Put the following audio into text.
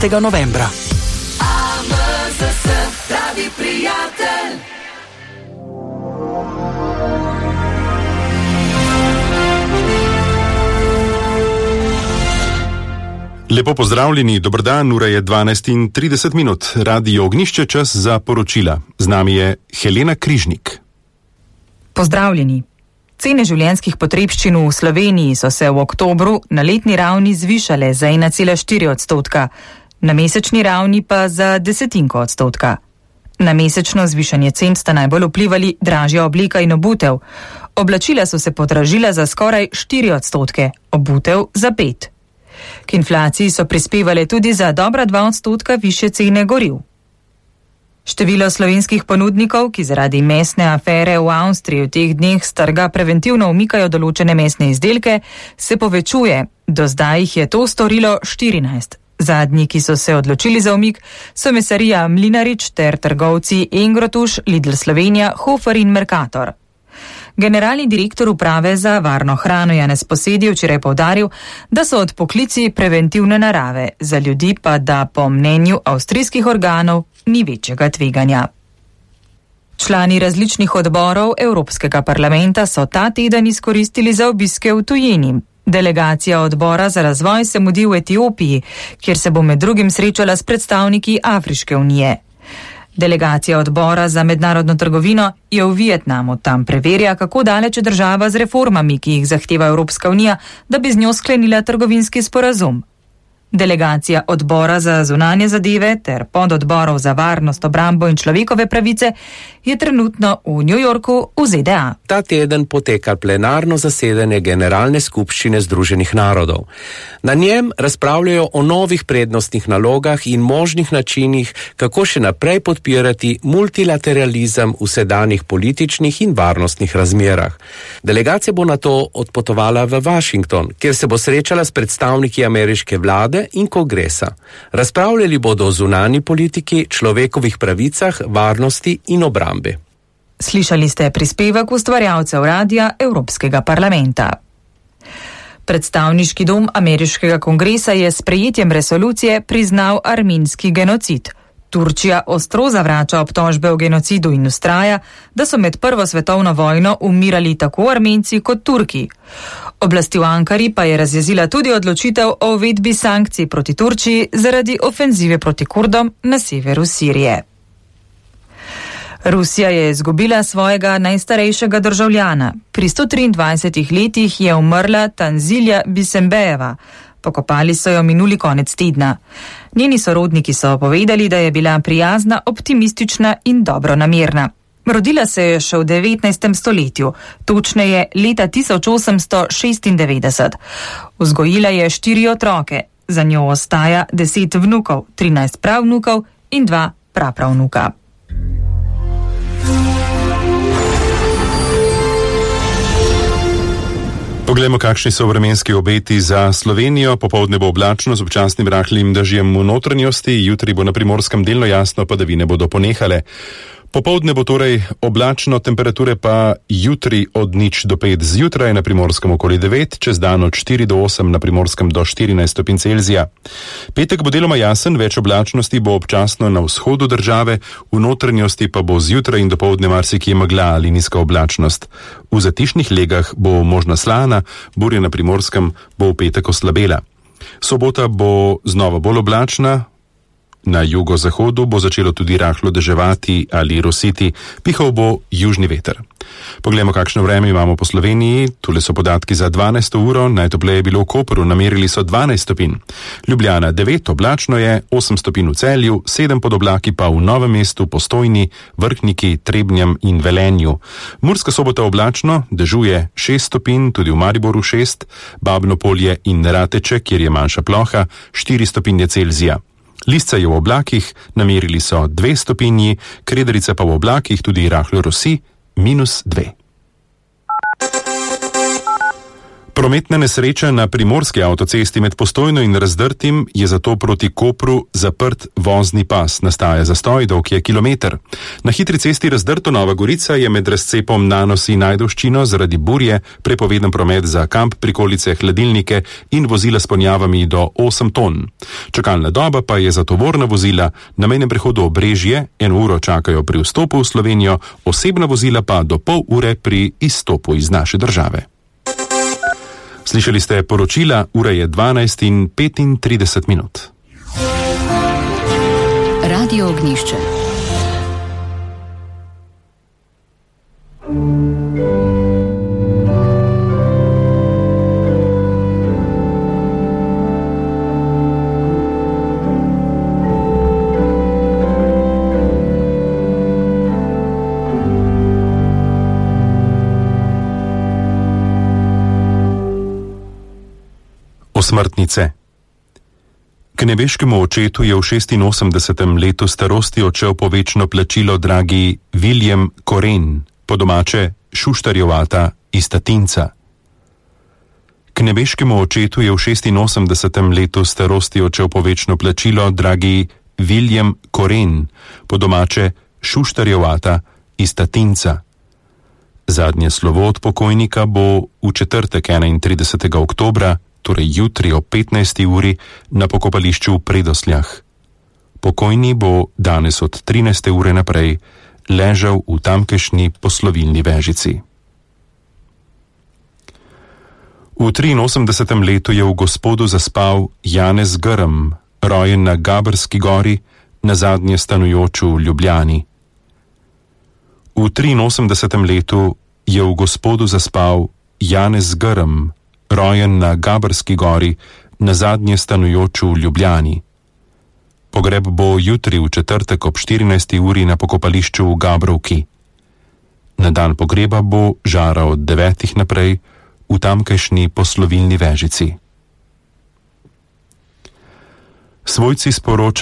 15. novembra. Pravi prijatelj. Lepo pozdravljeni, dober dan, ura je 12:30, Radio Ognjišče, čas za poročila. Z nami je Helena Križnik. Pozdravljeni. Cene življenjskih potrebščin v Sloveniji so se v oktobru na letni ravni zvišale za 1,4%, na mesečni ravni pa za 0,1%. Na mesečno zvišanje cen sta najbolj vplivali dražja obleka in obutev. Oblačila so se podražila za skoraj 4%, obutev za 5%. K inflaciji so prispevale tudi za dobra 2% višje cene goriv. Število slovenskih ponudnikov, ki zaradi mesne afere v Avstriji v teh dneh s trga preventivno umikajo določene mesne izdelke, se povečuje. Do zdaj jih je to storilo 14. Zadnji, ki so se odločili za umik, so mesarija Mlinarič ter trgovci Engrotuš, Lidl Slovenija, Hofer in Mercator. Generalni direktor uprave za varno hrano Janez Posedi včeraj poudaril, da so odpoklici preventivne narave, za ljudi pa da po mnenju avstrijskih organov ni večjega tveganja. Člani različnih odborov Evropskega parlamenta so ta teden izkoristili za obiske v tujini. Delegacija odbora za razvoj se mudi v Etiopiji, kjer se bo med drugim srečala s predstavniki Afriške unije. Delegacija odbora za mednarodno trgovino je v Vietnamu, tam preverja, kako daleč je država z reformami, ki jih zahteva Evropska unija, da bi z njo sklenila trgovinski sporazum. Delegacija odbora za zunanje zadeve ter pododborov za varnost, obrambo in človekove pravice je trenutno v New Yorku v ZDA. Ta teden poteka plenarno zasedanje Generalne skupščine Združenih narodov. Na njem razpravljajo o novih prednostnih nalogah in možnih načinih, kako še naprej podpirati multilateralizem v sedanjih političnih in varnostnih razmerah. Delegacija bo nato odpotovala v Washington, kjer se bo srečala s predstavniki ameriške vlade in kongresa. Razpravljali bodo o zunanji politiki, človekovih pravicah, varnosti in obrambi. Slišali ste prispevek ustvarjalcev Radia Evropskega parlamenta. Predstavniški dom ameriškega kongresa je s sprejetjem resolucije priznal armenski genocid. Turčija ostro zavrača obtožbe o genocidu in vztraja, da so med Prvo svetovno vojno umirali tako Armenci kot Turki. Oblasti v Ankari pa je razjezila tudi odločitev o uvedbi sankcij proti Turčiji zaradi ofenzive proti Kurdom na severu Sirije. Rusija je izgubila svojega najstarejšega državljana. Pri 123 letih je umrla Tanzilja Bisembejeva. Pokopali so jo minuli konec tedna. Njeni sorodniki so povedali, da je bila prijazna, optimistična in dobronamerna. Rodila se je še v 19. stoletju, točneje leta 1896. Vzgojila je 4 otroke, za njo ostaja 10 vnukov, 13 pravnukov in 2 prapravnuka. Poglejmo, kakšni so vremenski obeti za Slovenijo. Popoldne bo oblačno z občasnim rahlim dežjem v notranjosti, jutri bo na Primorskem delno jasno, padavine bodo ponehale. Popoldne bo torej oblačno, temperature pa jutri od 0 do 5 zjutraj, na Primorskem okoli 9, čez dan od 4 do 8, na Primorskem do 14 stopinj Celzija. Petek bo deloma jasen, več oblačnosti bo občasno na vzhodu države, v notranjosti pa bo zjutraj in dopoldne marsikje megla ali nizka oblačnost. V zatišnih legah bo možna slana, burja na Primorskem bo v petek oslabela. Sobota bo znova bolj oblačna. Na jugozahodu bo začelo tudi rahlo deževati ali rositi, pihal bo južni veter. Poglejmo, kakšno vreme imamo po Sloveniji. Tule so podatki za 12. uro, najtopleje je bilo v Kopru, namerili so 12 stopinj. Ljubljana 9, oblačno je, 8 stopinj v Celju, 7 pod oblaki pa v Novem mestu, Postojni, Vrhniki, Trebnjem in Velenju. Murska Sobota oblačno, dežuje 6 stopinj, tudi v Mariboru 6, Babno Polje in Rateče, kjer je manjša ploha, 4 stopinje Celzija. Lisca je v oblakih, namerili so 2 stopinji, Krederica pa v oblakih, tudi rahlo rosi, -2. Prometna nesreča na primorski avtocesti med Postojno in Razdrtim je zato proti Kopru zaprt vozni pas. Nastaja zastoj, dolg je kilometer. Na hitri cesti Razdrto Nova Gorica je med razcepom Nanos in Ajdovščino zaradi burje prepovedan promet za kamp, prikolice, hladilnike in vozila s ponjavami do 8 ton. Čakalna doba pa je za tovorna vozila na mejnem prehodu Obrežje 1 uro čakajo pri vstopu v Slovenijo, osebna vozila pa do pol ure pri izstopu iz naše države. Slišali ste poročila, ura je 12:35. Radio Ognjišče. Osmrtnice. K nebeškemu očetu je v 86. letu starosti odšel po večno plačilo dragi William Koren, po domače Šuštarjevata iz Tatinca. K nebeškemu očetu je v 86. letu starosti odšel po večno plačilo dragi William Koren, po domače Šuštarjevata iz Tatinca. Zadnje slovo od pokojnika bo v četrtek 31. oktobra, torej jutri o 15. uri, na pokopališču v Predosljah. Pokojni bo danes od 13. ure naprej ležal v tamkajšnji poslovilni vežici. V 83. letu je v Gospodu zaspal Janez Grm, rojen na Gabrski gori, nazadnje stanujoč v Ljubljani. V 83. letu je v Gospodu zaspal Janez Grm, rojen na Gabrski gori, nazadnje stanujoč v Ljubljani. Pogreb bo jutri v četrtek ob 14. uri na pokopališču v Gabrovki. Na dan pogreba bo žara od 9. naprej v tamkajšnji poslovilni vežici. Svojci sporočajo,